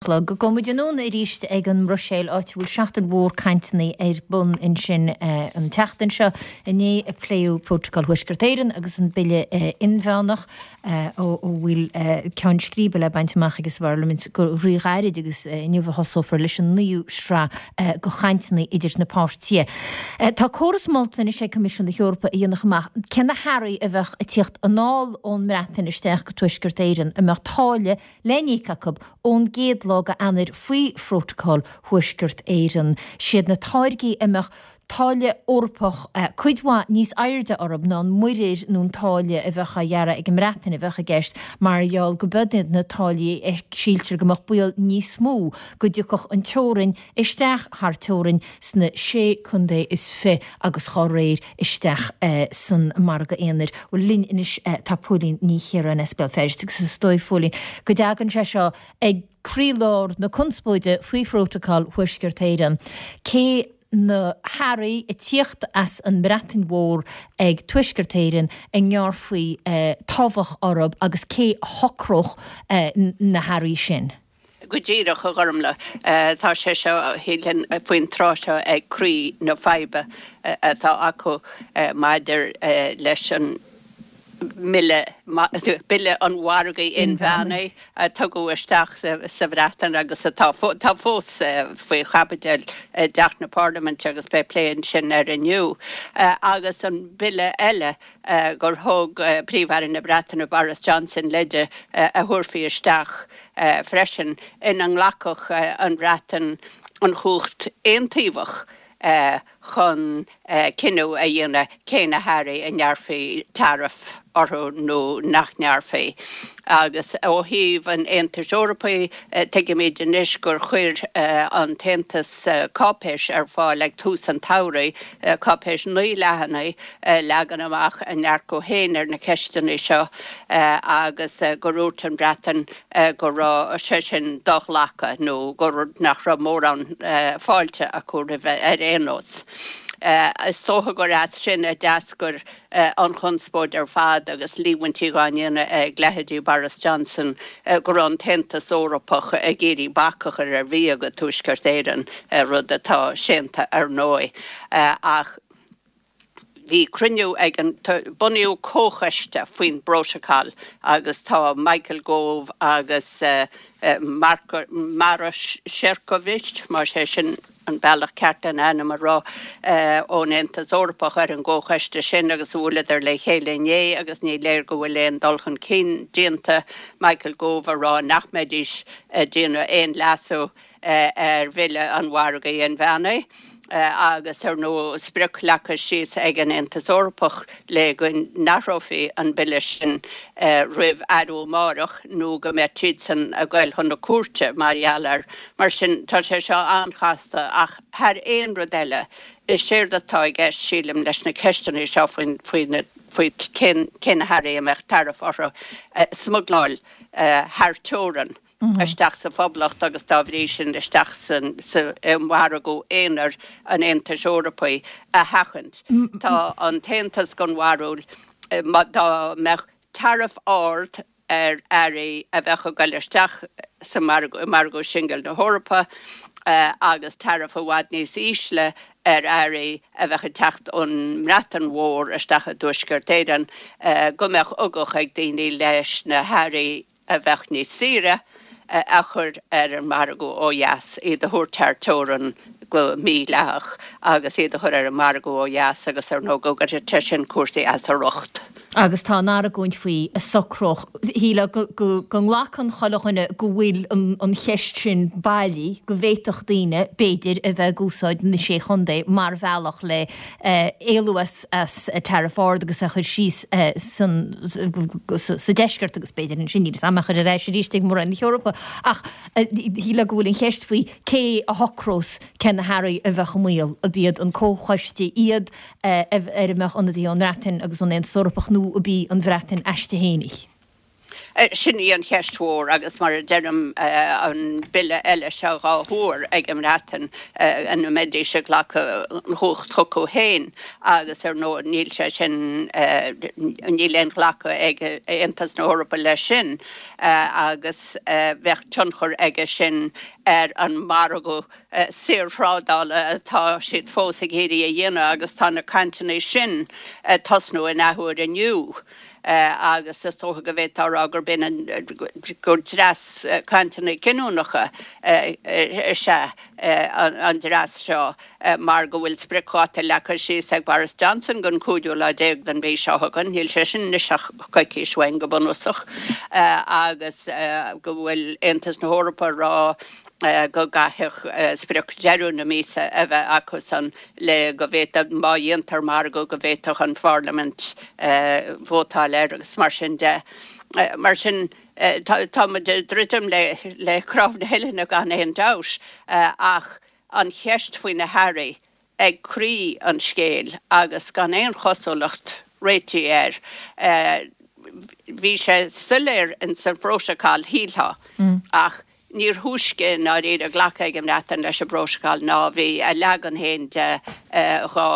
Chlog. Gabhfaidh muid anonn arís ag an mBruiséil, áit a bhfuil seachtain mhór cainteanna ar bun ansin an tseachtain seo. Inné a pléadh Prótacal Thuaisceart Éireann agus an Bille Inmheánach, a bhfuil ceann scríbe le baint amach ag an bParlaimint go ríghairid agus inniu a thosófar leis an naoú sraith de chainteanna idir na páirtithe. Tá córas molta anois ag Coimisiún na hEorpa a dhéanfadh amach cé na hearraí a bheadh ag tíocht anall ón mBreatain isteach go Tuaisceart Éireann a mbeadh táille le n-íoc acu ón gcéad lá de Eanáir faoi Phrótacal Thuaisceart Éireann. Siad na táirgí a mbeadh táille Eorpach cuid mhaith níos airde orthu ná an muirear nó an táille a bheadh á ghearradh ag an mBreatain a bheadh i gceist mar gheall go b'iad na táillí a síltear go mbeadh baol níos mó go dtiocfadh an teorainn isteach thar teorainn sna Sé Contae is Fi agus dhá réir isteach san Margadh Aonair. Bhuel, linn anois tá Póilín Ní Chiaráin as Béal Feirste agus is dóigh, Phóilín, go dtagann sé seo ag croílár na conspóide faoi Phrótacal Thuaisceart Éireann. Cé na hearraí ag tíocht as an mBreatain Mhór ag Tuaisceart Éireann a ngearrfaí tobhach orthu agus cé a shocródh na hearraí sin? Go díreach, a Ghormlaith. Tá sé seo, shílfinn, faoin tráth seo ag croí na faidhbe atá acu maidir leis an mBille, Bille an Mhargaidh Inmheánaigh a tugadh isteach sa Bhreatain agus atá fós faoi chaibidil i dTeach na Parlaiminte agus beidh plé ansin air inniu, agus an Bille eile gur thug Príomh-Aire na Breataine Boris Johnson leide a thabharfaí isteach freisin, ina nglacfadh an Bhreatain an chumhacht aontaobhach chun cinneadh a dhéanamh cé na hearraí a ngearrfaí taraif orthu nó nach ngearrfaí. Agus ó thaobh an Aontais Eorpaigh, tuigimid anois gur chuir an tAontas cáipéis ar fáil ag tús an tsamhraidh, cáipéis 9 leathanaigh, ag leagan amach a ndearcadh féin ar na ceisteanna seo agus gur dhúirt an Bhreatain go raibh sé sin do-ghlactha nó gur nach raibh mórán fáilte acu roimhe ar aon nós. Is dócha gur as sin a d'eascair an chonspóid ar fad agus líomhaintí dhá ndéanamh ag leithéidí Boris Johnson go raibh an tAontas Eorpach ag iarraidh bac a chur ar bhia go Tuaisceart Éireann, rud atá séanta ar ndóigh. Ach bhí cruinniú ag an, bunaíodh comhchoiste faoin bprótacal agus tá Michael Gove agus Maroš Šefčovič, más é sin an bealach ceart lena ainm a rá, ón Aontas Eorpach ar an gcomhchoiste sin agus bhuaileadar le chéile inné agus ní léir go bhfuil aon dul chun cinn déanta, Michael Gove a rá nach mbeidís ag déanamh aon leasú ar Bhille an Mhargaidh Inmheánaigh agus, ar ndóigh, sprioc leagtha síos ag an Aontas Eorpach le go n-athrófaí an bille sin roimh athrú amárach nó go mbeadh siadsan ag goil chun na cúirte mar gheall air. Mar sin, tá sé seo an-chasta ach thar aon rud eile, is éard atá i gceist, sílim, leis na ceisteanna seo faoin, faoi cé na hearraí a mbeadh taraif orthu, smugláil thar teorainn. isteach sa Phoblacht agus dá bhrí sin isteach sa i margadh aonair an Aontais Eorpaigh a sheachaint. Tá an tAontas den bharúil dá mbeadh taraif ard ar earraí a bheadh ag goil isteach sa margadh, i margadh singil na hEorpa agus taraif i bhfad níos ísle ar earraí a bheadh ag teacht ón mBreatain Mhór isteach i dTuaisceart Éireann, go mbeadh ugach ag daoine leis na hearraí a bheadh níos saoire a chur ar an margadh ó dheas, iad a thabhairt thar teorainn go mídhleathach agus iad a chur ar an margadh ó dheas agus ar ndóigh go gcuirfeadh sé sin cúrsaí as a riocht. Agus tá an argóint faoi a socródh, shílfeá go nglacann chuile dhuine go bhfuil an cheist sin bailí, go bhféadfadh daoine, b'fhéidir, a bheith ag úsáid na Sé Chontae mar bhealach le éalú as tariff ard agus é a chur síos sa deisceart agus b'fhéidir ansin níl 'fhios a'm é a chur ar ais arís ag Mór-Roinn na hEorpa. Ach shílfeá go bhfuil an cheist faoi cé a shocrós cé na hearraí a bheadh i mbaol, ab iad an comhchoiste iad ar a mbeadh ionadaithe ón mBreatain agus ón Aontas Eorpach nó ab í an Bhreatain aisti fhéinig. Sin í an cheist mhór agus mar a deirim an bille eile seo dhá thuar ag an mBreatain ina mbeidís ag glacadh an chumhacht chucu féin agus ar ndóigh níl sé sin, níl aon ghlacadh ag Aontas na hEorpa leis sin agus bheadh tionchar aige sin ar an margadh saorthrádála atá siad fós ag iarraidh a dhéanamh agus tá na cainteanna sin ag tosnú in athuair inniu. agus is dócha go bhféadfá a rá gurb in an, gur dreas cainteanna cinniúnacha is ea an dreas seo mar go bhfuil spriocdháta leagtha síos ag Boris Johnson don cúigiú lá déag den mhí seo chugainn, níl sé sin anois ach coicís uainn go bunúsach, agus go bhfuil Aontas na hEorpa ag rá go gcaithfeadh sprioc deireadh na míosa a bheith acusan le go bhféadfadh, má dhéantar margadh, go bhféadfadh an Pharlaimint vótáil air agus mar sin de. Mar sin, tá muid ag druidim le cnámh na huillinne gan aon dabht ach an cheist faoi na hearraí ag croí an scéil agus gan aon chosúlacht réitigh air. Bhí sé soiléir ins an phrótacal, shílfeá, ach níor thúisce i ndáiríre glactha ag an mBreatain leis an bprótacal ná bhí a leagan féin de dhá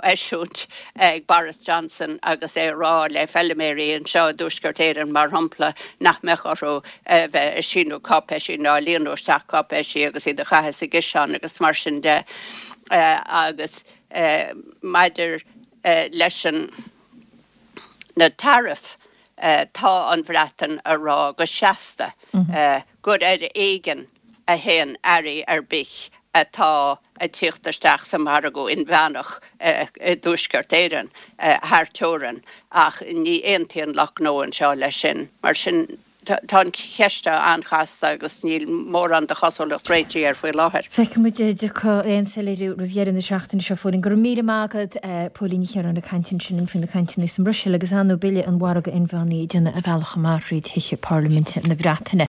eisiúint ag Boris Johnson agus é ag rá le feilméaraí anseo i dTuaisceart Éireann, mar shampla, nach mbeadh orthu a bheith ag síniú cáipéisí ná ag líonadh isteach cáipéisí agus iad a chaitheamh sa gciseán agus mar sin de. Agus maidir leis an na tariffs, tá an Bhreatain a rá go seasta gur ar éigean a théann earraí ar bith atá ag tíocht isteach sa mhargadh inmheánach i dTuaisceart Éireann thar teorainn ach ní aontaíonn lucht gnó anseo leis sin. Mar sin Tá an cheist seo an-chasta agus níl mórán de chosúlacht réitigh air faoi láthair. Feicfidh muid an dtiocfaidh aon soiléiriú roimh dheireadh na seachtaine seo, Phóilín. Go raibh míle maith agat, Póilín Ní Chiaráin ag caint ansin faoi na cainteanna sa mBruiséil agus ar ndóigh Bille an Mhargaidh Inmheánaigh ag déanamh a bhealach amach thríd Thithe Parlaiminte na Breataine.